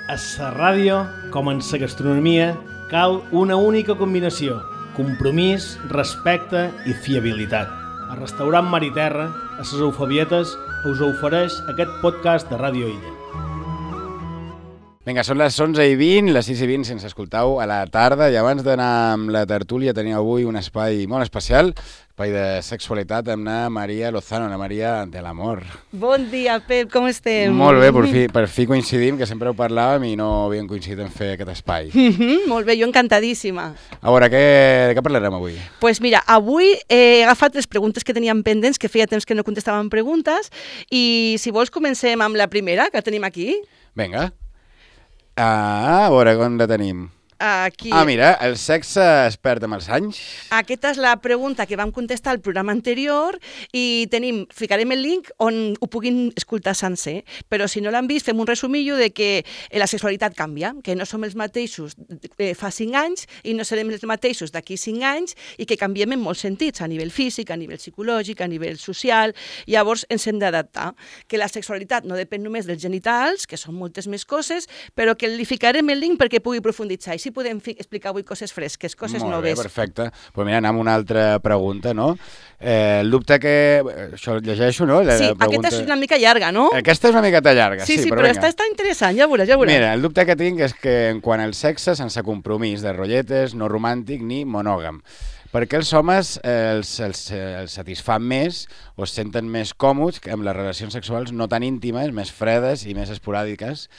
A la ràdio, com en la gastronomia, cal una única combinació: compromís, respecte i fiabilitat. El restaurant Mar i Terra, a les Eufebietes, us ofereix aquest podcast de Ràdio Illa. Vinga, són les 11:20, les 6:20 si ens escoltau a la tarda, i abans d'anar amb la tertúlia tenim avui un espai molt especial, espai de sexualitat amb la Maria Lozano, la Maria de l'amor. Bon dia, Pep, com estem? Molt bé, per fi coincidim, que sempre ho parlàvem i no havíem coincidit en fer aquest espai. Molt bé, jo encantadíssima. A veure, de què parlarem avui? Doncs pues mira, avui he agafat les preguntes que teníem pendents, que feia temps que no contestàvem preguntes, i si vols comencem amb la primera, que tenim aquí. Vinga. A veure, on la tenim? Aquí. Mira, el sexe es perd amb els anys? Aquesta és la pregunta que vam contestar al programa anterior i ficarem el link on ho puguin escoltar sencer, però si no l'han vist fem un resumillo de que la sexualitat canvia, que no som els mateixos fa 5 anys i no serem els mateixos d'aquí 5 anys i que canviem en molts sentits, a nivell físic, a nivell psicològic, a nivell social, llavors ens hem d'adaptar, que la sexualitat no depèn només dels genitals, que són moltes més coses, però que li ficarem el link perquè pugui profunditzar. Si podem explicar avui coses fresques, coses noves. Molt bé, perfecte. Pues mira, anem a una altra pregunta, no? El dubte que... Això llegeixo, no? Sí, aquesta és una mica llarga, no? Aquesta és una miqueta llarga, sí, però està interessant, ja veuràs. Mira, el dubte que tinc és que en quant al sexe, sense compromís de rotlletes, no romàntic ni monògam. Perquè els homes els satisfan més o es senten més còmodes amb les relacions sexuals no tan íntimes, més fredes i més esporàdiques,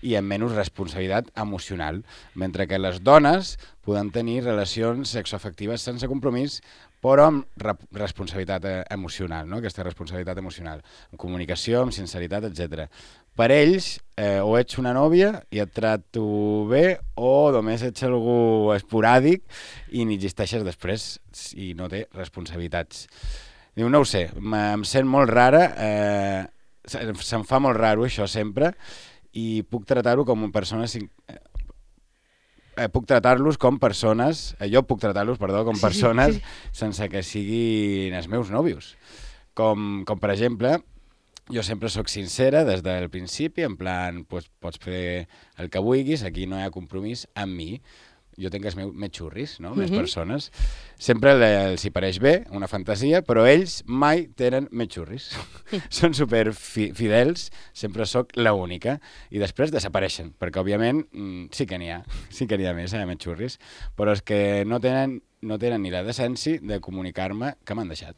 i amb menys responsabilitat emocional, mentre que les dones poden tenir relacions sexoafectives sense compromís, però amb responsabilitat emocional, no? Aquesta responsabilitat emocional, amb comunicació, amb sinceritat, etc. Per ells, o ets una nòvia i et trato bé, o només ets algú esporàdic i ni existeixes després i no té responsabilitats. Diu, no ho sé, em sent molt rara, se'm fa molt raro això sempre, i puc tratar-ho com persones... puc tratar-los com persones... Jo puc tratar-los, com persones sense que siguin els meus nòvios. Com per exemple, jo sempre sóc sincera des del principi, en plan, pots fer el que vulguis, aquí no hi ha compromís amb mi. Jo tinc els meus xurris, no? Més persones. Sempre els hi pareix bé, una fantasia, però ells mai tenen més xurris. Són super fidels, sempre sóc l'única, i després desapareixen, perquè òbviament sí que n'hi ha més, més xurris, però és que no tenen ni la decència de comunicar-me que m'han deixat.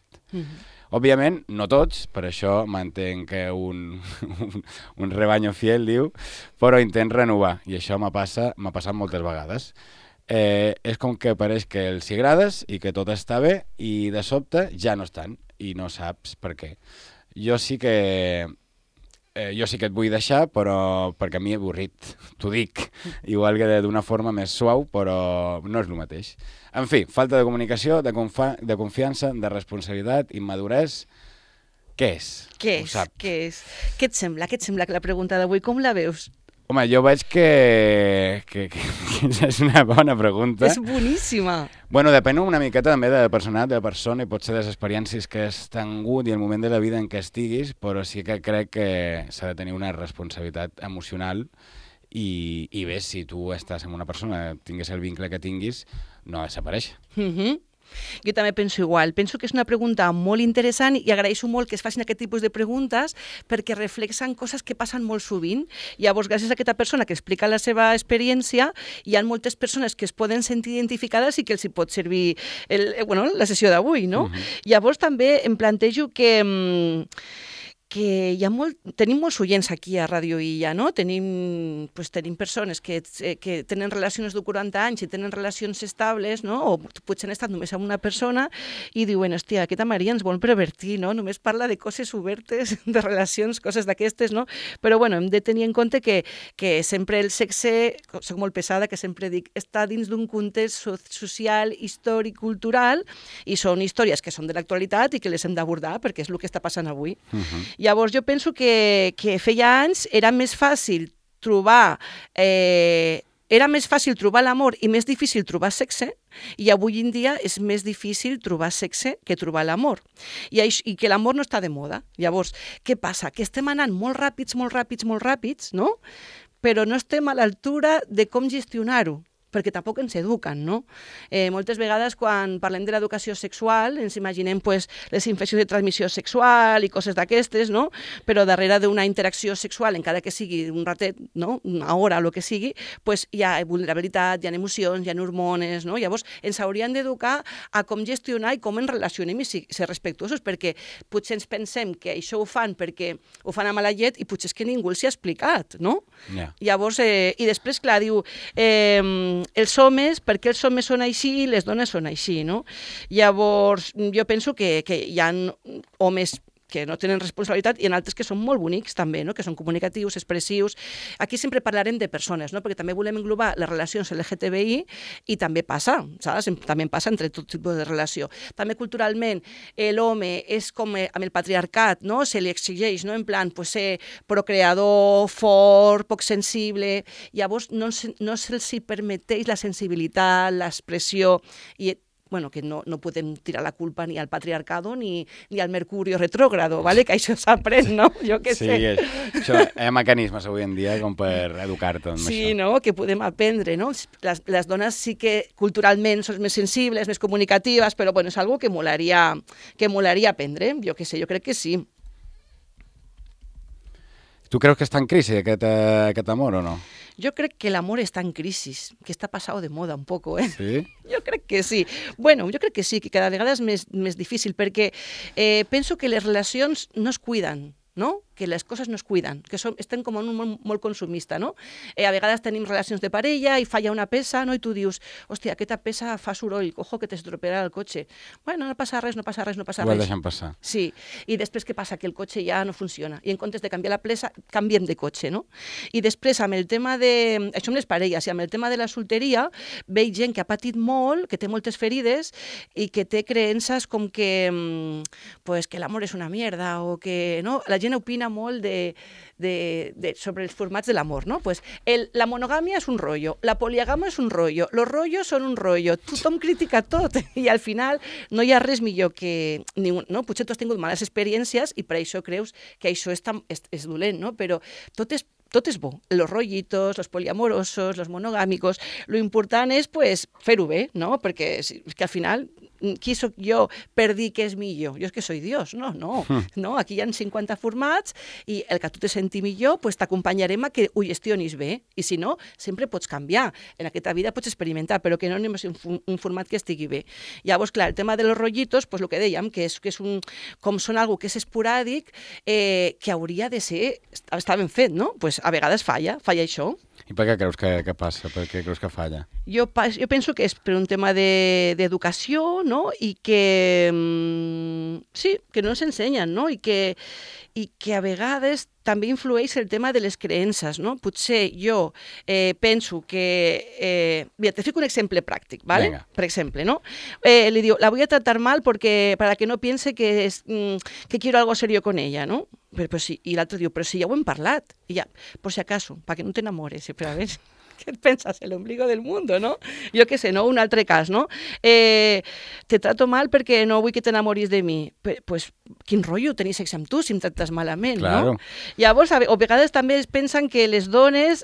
Òbviament, no tots, per això mantenc un rebaño fiel, diu, però intent renovar, i això m'ha passat moltes vegades. És com que pareix que els hi agrades i que tot està bé i de sobte ja no estan i no saps per què. Jo sí que et vull deixar, però perquè a mi he avorrit, t'ho dic, igual que d'una forma més suau, però no és el mateix. En fi, falta de comunicació, de confiança, de responsabilitat, immadurez. Què és? Què és? Què et sembla que la pregunta d'avui, com la veus? Home, jo veig que és una bona pregunta. És boníssima. Bueno, depèn una miqueta també de la personalitat de la persona i potser de les experiències que has tingut i el moment de la vida en què estiguis, però sí que crec que s'ha de tenir una responsabilitat emocional i bé, si tu estàs amb una persona, tinguis el vincle que tinguis, no desapareix. Jo també penso igual. Penso que és una pregunta molt interessant i agraeixo molt que es facin aquest tipus de preguntes perquè reflexen coses que passen molt sovint. Llavors, gràcies a aquesta persona que explica la seva experiència, hi ha moltes persones que es poden sentir identificades i que els hi pot servir la sessió d'avui, no? Llavors, també em plantejo que tenim molts oients aquí a Ràdio Illa, no? Tenim persones que tenen relacions de 40 anys i tenen relacions estables, no? O potser han estat només amb una persona i diuen, hòstia, aquesta Maria ens vol pervertir, no? Només parla de coses obertes, de relacions, coses d'aquestes, no? Però bueno, hem de tenir en compte que sempre el sexe, soc molt pesada, que sempre dic, està dins d'un context social, històric, cultural, i són històries que són de l'actualitat i que les hem d'abordar perquè és el que està passant avui. Llavors jo penso que feia anys era més fàcil trobar l'amor i més difícil trobar sexe, i avui en dia és més difícil trobar sexe que trobar l'amor. I que l'amor no està de moda. Llavors, què passa? Que estem anant molt ràpids, no? però no estem a l'altura de com gestionar-ho, perquè tampoc ens eduquen, no? Moltes vegades, quan parlem de l'educació sexual, ens imaginem pues, les infeccions de transmissió sexual i coses d'aquestes, no? Però darrere d'una interacció sexual, encara que sigui un ratet, no? Una hora o el que sigui, pues, hi ha vulnerabilitat, hi ha emocions, hi ha hormones, no? Llavors, ens haurien d'educar a com gestionar i com ens relacionem i ser respectuosos, perquè potser ens pensem que això ho fan perquè ho fan a mala llet i potser és que ningú els hi ha explicat, no? Yeah. Llavors, i després, clar, diu... els homes, perquè els homes són així i les dones són així, no? Llavors, jo penso que hi ha homes que no tenen responsabilitat i en altres que són molt bonics també, no? Que són comunicatius, expressius. Aquí sempre parlarem de persones, no? Perquè també volem englobar les relacions LGTBI i també passa, saps? També passa entre tot tipus de relació. També culturalment l'home és com amb el patriarcat, no? Se li exigeix, no? En plan, pues, ser procreador, fort, poc sensible. Llavors no se'ls permeteix la sensibilitat, l'expressió i bueno, que no podem tirar la culpa ni al patriarcado ni al Mercurio retrógrado, ¿vale? Que això s'aprèn, no? Jo què sé. Sí, això, hi ha mecanismes avui en dia com per educar-te amb això. Sí, no? Que podem aprendre, no? Les dones sí que culturalment són més sensibles, més comunicatives, però bueno, és algo que molaria aprendre, jo què sé, jo crec que sí. Tu creus que està en crisi aquest amor o no? Jo crec que l'amor està en crisi, que està passat de moda un poco, eh? Sí? Jo crec que sí. Bueno, jo crec que sí, que cada vegada és més difícil, perquè penso que les relacions no es cuiden, no? Que les coses no es cuiden, que estem com en un món molt consumista, no? A vegades tenim relacions de parella i falla una peça, no? I tu dius, hòstia, aquesta peça fa soroll, ojo que t'estropearà el cotxe. Bueno, no passa res. Ho deixem passar. Sí, i després què passa? Que el cotxe ja no funciona. I en comptes de canviar la peça, canviem de cotxe, no? I després, amb el tema de... Això amb les parelles, i amb el tema de la solteria, veig gent que ha patit molt, que té moltes ferides i que té creences com que, pues, que l'amor és una mierda o que... No? La gent opina molt sobre els formats de l'amor, no? Pues la monogàmia és un rotllo, la poliagàmia és un rotllo, los rollos són un rotllo, tothom critica tot i al final no hi ha res millor que... No? Potser tu has tingut males experiències i per això creus que això és dolent, no? Però tot és bo, los rollitos, los poliamorosos, los monogàmicos, lo important és pues, fer-ho bé, no? Perquè és que al final, qui sóc jo per dir que és millor? Jo és que soy Dios, no? Aquí hi ha 50 formats i el que tu te senti millor, pues, t'acompanyarem a que ho gestionis bé i si no, sempre pots canviar. En aquesta vida pots experimentar, però que no anem a ser un format que estigui bé. Llavors, clar, el tema de los rollitos, pues, el que dèiem, que és com són algo que és esporàdic, que hauria de ser, està ben fet, no? Pues, a vegades falla això. I per què creus que passa? Per què creus que falla? Jo penso que és per un tema d'educació, no? I que sí, que no ens ensenyen, no? I que a vegades també influeix el tema de les creences, no? Potser jo penso que... Mira, te fico un exemple pràctic, ¿vale? Venga. Per exemple, ¿no? Le digo, la voy a tratar mal para que no piense que quiero algo serio con ella, ¿no? Però sí, i l'altre diu, però si ja ho hem parlat. I ja, por si acaso, para que no te enamores. Però a ver, què et penses? El ombligo del mundo, no? Jo què sé, no? Un altre cas, no? Te trato mal perquè no vull que t'enamoris de mi. Pues, quin rotllo tenir sexe amb tu si em tractes malament, claro. No? Llavors, a vegades també es pensen que les dones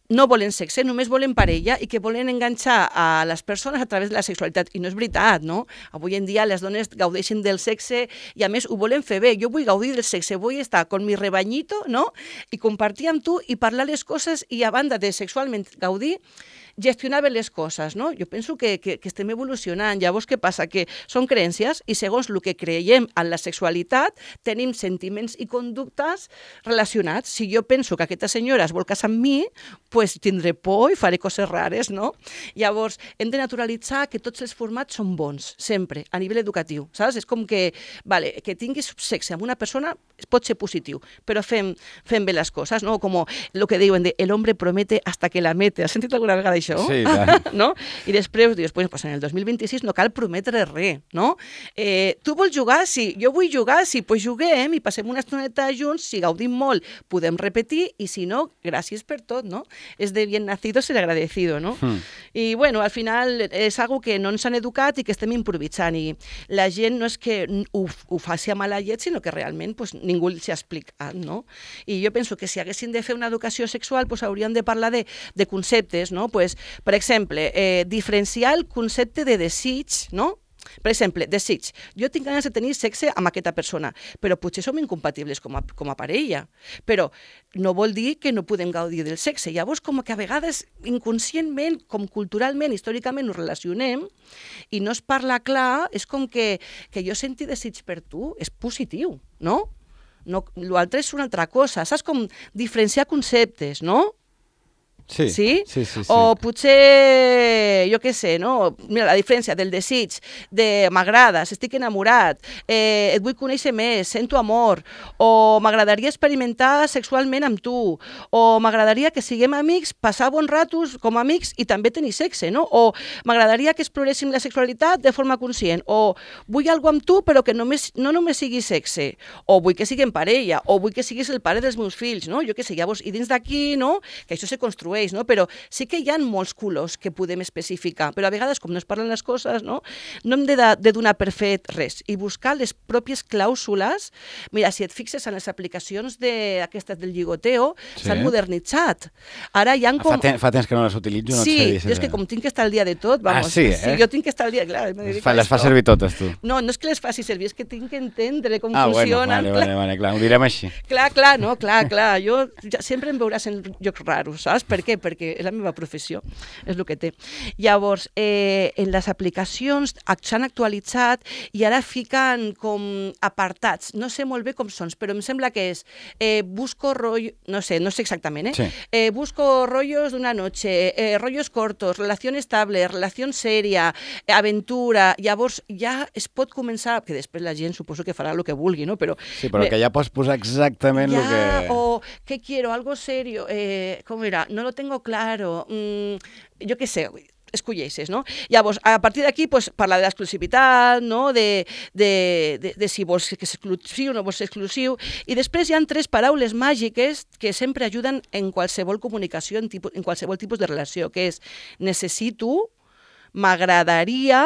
no volen sexe, només volen parella i que volen enganxar a les persones a través de la sexualitat. I no és veritat, no? Avui en dia les dones gaudeixen del sexe i a més ho volen fer bé. Jo vull gaudir del sexe, vull estar con mi rebañito, no? I compartir amb tu i parlar les coses i a banda de sexualment gaudir, gestionar bé les coses, no? Jo penso que estem evolucionant. Llavors, què passa? Que són creences i segons el que creiem en la sexualitat tenim sentiments i conductes relacionats. Si jo penso que aquesta senyora es vol casar amb mi, pues tindré por i faré coses rares, no? Llavors, hem de naturalitzar que tots els formats són bons, sempre, a nivell educatiu, saps? És com que, vale, que tinguis sexe amb una persona pot ser positiu, però fem bé les coses, no? Com el que diuen de el hombre promete hasta que la mete. Has sentit alguna vegada això? Sí, tant. No? I després dius, pues en el 2026 no cal prometre res, no? Tu vols jugar? Sí. Jo vull jugar? Sí. Pues juguem i passem una estoneta junts, si gaudim molt podem repetir i si no, gràcies per tot, no? es de bien nacido ser agradecido, no? I, bueno, al final és algo que no ens han educat i que estem improvisant, i la gent no és que ho faci a mala llet, sinó que realment pues, ningú s'hi ha explicat, no? I jo penso que si haguessin de fer una educació sexual, pues, hauríem de parlar de conceptes, no? Pues, per exemple, diferenciar el concepte de desig, no? Per exemple, desig. Jo tinc ganes de tenir sexe amb aquesta persona, però potser som incompatibles com a parella. Però no vol dir que no podem gaudir del sexe. Llavors, com que a vegades inconscientment, com culturalment, històricament, nos relacionem i no es parla clar, és com que jo senti desig per tu és positiu, no? L'altre és una altra cosa. Saps com diferenciar conceptes, no? Sí, sí? Sí. O potser, jo què sé, no? Mira, la diferència del desig, de m'agrades, estic enamorat, et vull conèixer més, sento amor, o m'agradaria experimentar sexualment amb tu, o m'agradaria que siguem amics, passar bons ratos com a amics i també tenir sexe, no? O m'agradaria que exploréssim la sexualitat de forma conscient, o vull alguna amb tu però que no només sigui sexe, o vull que siguem parella, o vull que siguis el pare dels meus fills, no? Jo què sé, llavors, i dins d'aquí, no? Que això se construeix, no? Però sí que hi ha molts colors que podem especificar, però a vegades, com no es parlen les coses, no hem de donar per fet res i buscar les pròpies clàusules. Mira, si et fixes en les aplicacions aquestes del lligoteo, s'han modernitzat. Ara hi ha com... Fa temps que no les utilitzo, no sí, et sé dir. Sí, és que com tinc que estar al dia de tot, vamos. Sí, sí, jo tinc que estar al dia, clar. Les fa servir totes, tu. No és que les faci servir, és que tinc que entendre com funcionen. Bueno, clar, ho direm així. Clar, jo sempre em veuràs en llocs raros, saps? Per què? Perquè és la meva professió, és el que té. Llavors, en les aplicacions s'han actualitzat i ara fiquen com apartats, no sé molt bé com són, però em sembla que és busco rollo, no sé exactament, Sí. Busco rollos d'una noche, rollos cortos, relació estable, relació seria, aventura, llavors ja es pot començar, que després la gent suposo que farà el que vulgui, no? Però, sí, però que ja pots posar exactament el que... O, ¿qué quiero? Algo serio, ¿cómo era? No lo tengo claro, jo què sé, escolleixes, no? Llavors, a partir d'aquí, pues, parlar de l'exclusivitat, no? De si vols que és exclusiu o no vols ser exclusiu, i després hi ha 3 paraules màgiques que sempre ajuden en qualsevol comunicació, en qualsevol tipus de relació, que és necessito, m'agradaria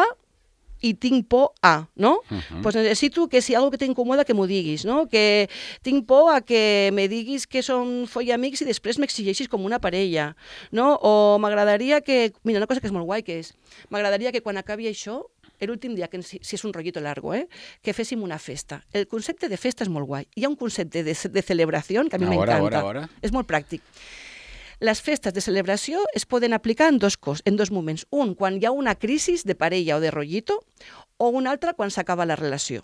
i tinc por a, no? Pues necessito que si algo que t'incomoda que m'ho diguis, no? Que tinc por a que me diguis que som follamics i després m'exigeixis com una parella, no? O m'agradaria que... Mira, una cosa que és molt guai, que és... M'agradaria que quan acabi això, l'últim dia, que si és un rollito largo, que féssim una festa. El concepte de festa és molt guai. Hi ha un concepte de celebració que a mi m'encanta. És molt pràctic. Les festes de celebració es poden aplicar en dos moments. Un, quan hi ha una crisi de parella o de rollito, o un altre, quan s'acaba la relació.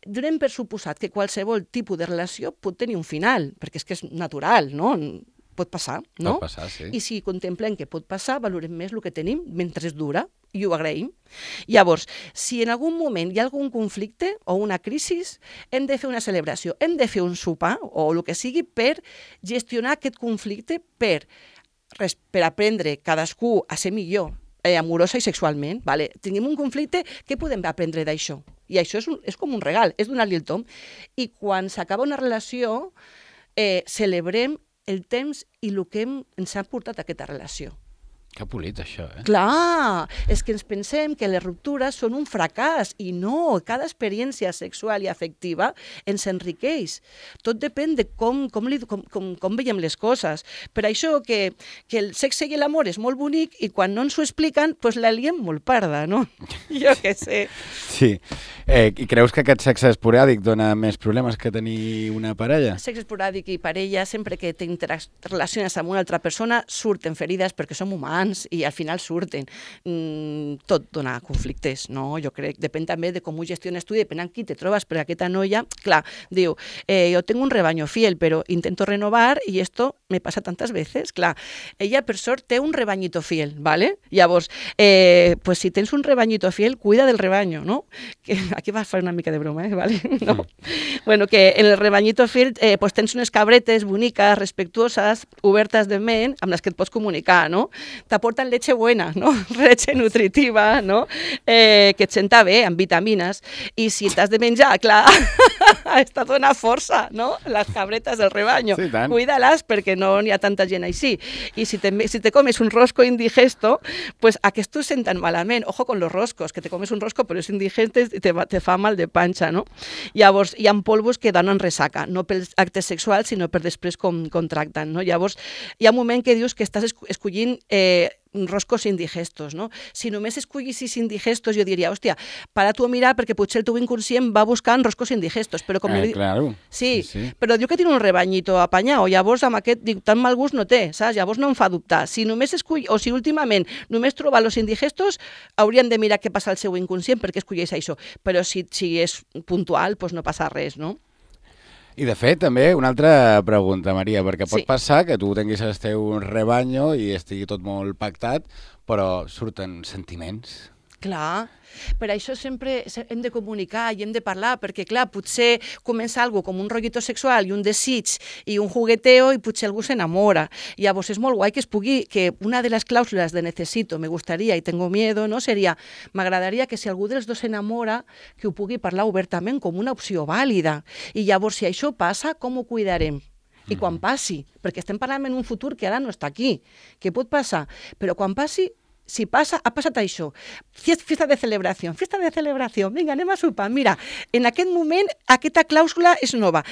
Donem per suposat que qualsevol tipus de relació pot tenir un final, perquè és que és natural, no? Pot passar, no? Pot passar, sí. I si contemplem que pot passar, valorem més el que tenim mentre es dura i ho agraïm. Llavors, si en algun moment hi ha algun conflicte o una crisi, hem de fer una celebració, hem de fer un sopar o el que sigui per gestionar aquest conflicte, per aprendre cadascú a ser millor, amorosa i sexualment. Vale? Tenim un conflicte, què podem aprendre d'això? I això és com un regal, és donar-li el tom. I quan s'acaba una relació, celebrem el temps i el que ens ha portat a aquesta relació. Que polit, això, Clar, és que ens pensem que les ruptures són un fracàs, i no, cada experiència sexual i afectiva ens enriqueix. Tot depèn de com veiem les coses. Per això que el sexe i l'amor és molt bonic i quan no ens ho expliquen, doncs la liem molt parda, no? Jo què sé. Sí. I creus que aquest sexe esporàdic dona més problemes que tenir una parella? Sexe esporàdic i parella, sempre que t'interrelaciones amb una altra persona, surten ferides perquè som humans i al final surten. Tot dona conflictes, no? Jo crec. Depèn també de com ho gestiones tu i depèn amb qui te trobes, perquè aquesta noia, clar, diu, yo tengo un rebaño fiel, pero intento renovar y esto me pasa tantas veces. Clar, ella per sort té un rebañito fiel, ¿vale? Llavors, pues si tens un rebañito fiel, cuida del rebaño, no? Que aquí vas a fer una mica de broma, ¿vale? No. Bueno, que en el rebañito fiel pues tens unes cabretes boniques, respectuoses, obertes de ment, amb les que et pots comunicar, no? t'aporten leche buena, no? Leche nutritiva, no? Que et senta bé, amb vitamines. I si t'has de menjar, clar, està dona força, no? Les cabretes del rebaño. Sí, tant. Cuida-les perquè no n'hi ha tanta gent així. I si te comes un rosco indigesto, pues aquestos senten malament. Ojo con los roscos, que te comes un rosco però és indigente i te fa mal de panxa, no? Llavors, hi ha polvos que donen ressaca, no pels actes sexuals, sinó per després com tracten, no? Llavors, hi ha un moment que dius que estàs escollint roscos indigestos, no? Si només escollissis indigestos, jo diria, hòstia, para tu a mirar perquè potser el teu inconscient va buscant roscos indigestos, però com... Claro. Sí, però diu que tiene un rebañito apanyat, llavors amb aquest, dic, tan mal gust no té, saps? Llavors no em fa dubtar. Si només o si últimament només troba los indigestos, haurien de mirar què passa al seu inconscient perquè escolleix això, però si és puntual, doncs no passa res, no? I de fet, també, una altra pregunta, Maria, perquè pot Sí. passar que tu tinguis el teu rebanyo i estigui tot molt pactat, però surten sentiments. Clar, per això sempre hem de comunicar i hem de parlar, perquè clar, potser comença algo com un rotllito sexual i un desig i un jugueteo i potser algú s'enamora. Llavors és molt guai que una de les clàusules de necesito, me gustaría y tengo miedo, no seria, m'agradaria que si algú dels dos s'enamora, que ho pugui parlar obertament com una opció vàlida. I llavors, si això passa, com ho cuidarem? I quan passi, perquè estem parlant en un futur que ara no està aquí, que pot passar, però quan passi, si passa, ha passat això. Fiesta de celebració, vinga, anem a sopar. Mira, en aquest moment aquesta clàusula és nova.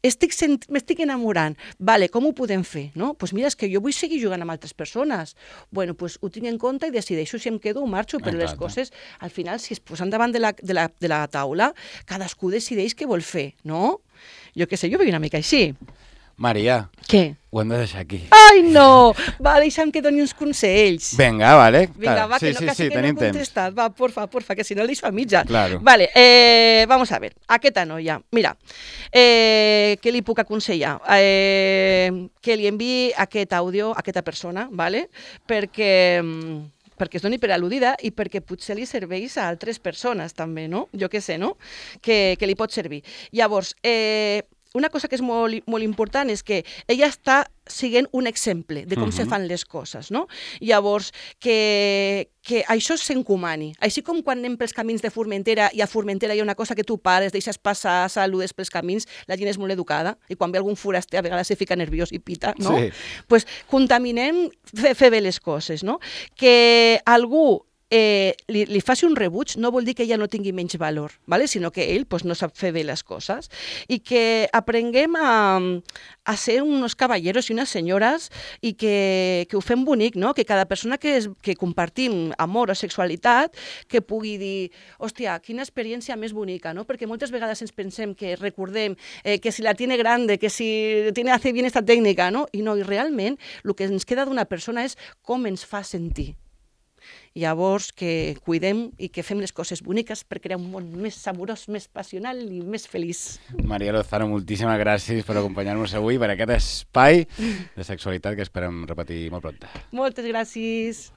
M'estic enamorant. Vale, com ho podem fer? No? Pues mira, és que jo vull seguir jugant amb altres persones. Bueno, pues ho tinc en compte i decideixo si em quedo o marxo, però les coses, al final, si es posen davant de la taula, cadascú decideix què vol fer, no? Jo què sé, jo vull una mica així. Maria, Què? ho hem de deixar aquí. Ai, no! Va, deixa'm que doni uns consells. Vinga, vale. Vinga, va, que no, sí, que tenim no he contestat. Va, porfa, que si no el deixo a mitja. Claro. Vale, vamos a ver. Aquesta noia, mira, què li puc aconsellar? Que li enviï aquest àudio a aquesta persona, vale? perquè es doni per al·ludida i perquè potser li serveix a altres persones també, no? Jo què sé, no? Que li pot servir. Llavors, una cosa que és molt important és que ella està sent un exemple de com se fan les coses, no? Llavors, que això s'encomani. Així com quan anem pels camins de Formentera i a Formentera hi ha una cosa que tu pares, deixes passar, saludes pels camins, la gent és molt educada i quan ve algun foraster a vegades se fica nerviós i pita, no? Sí. Pues contaminem fer bé les coses, no? Que algú li faci un rebuig no vol dir que ella no tingui menys valor, ¿vale? Sinó que ell pues, no sap fer bé les coses i que aprenguem a ser unos caballeros i unes senyores i que ho fem bonic, no? Que cada persona que compartim amor o sexualitat que pugui dir, hòstia, quina experiència més bonica, no? Perquè moltes vegades ens pensem que recordem que si la tiene grande, que si hace bien esta tècnica, no? I realment el que ens queda d'una persona és com ens fa sentir. Llavors, que cuidem i que fem les coses boniques per crear un món més amorós, més passional i més feliç. Maria Lozano, moltíssimes gràcies per acompanyar-nos avui per aquest espai de sexualitat que esperem repetir molt prompte. Moltes gràcies.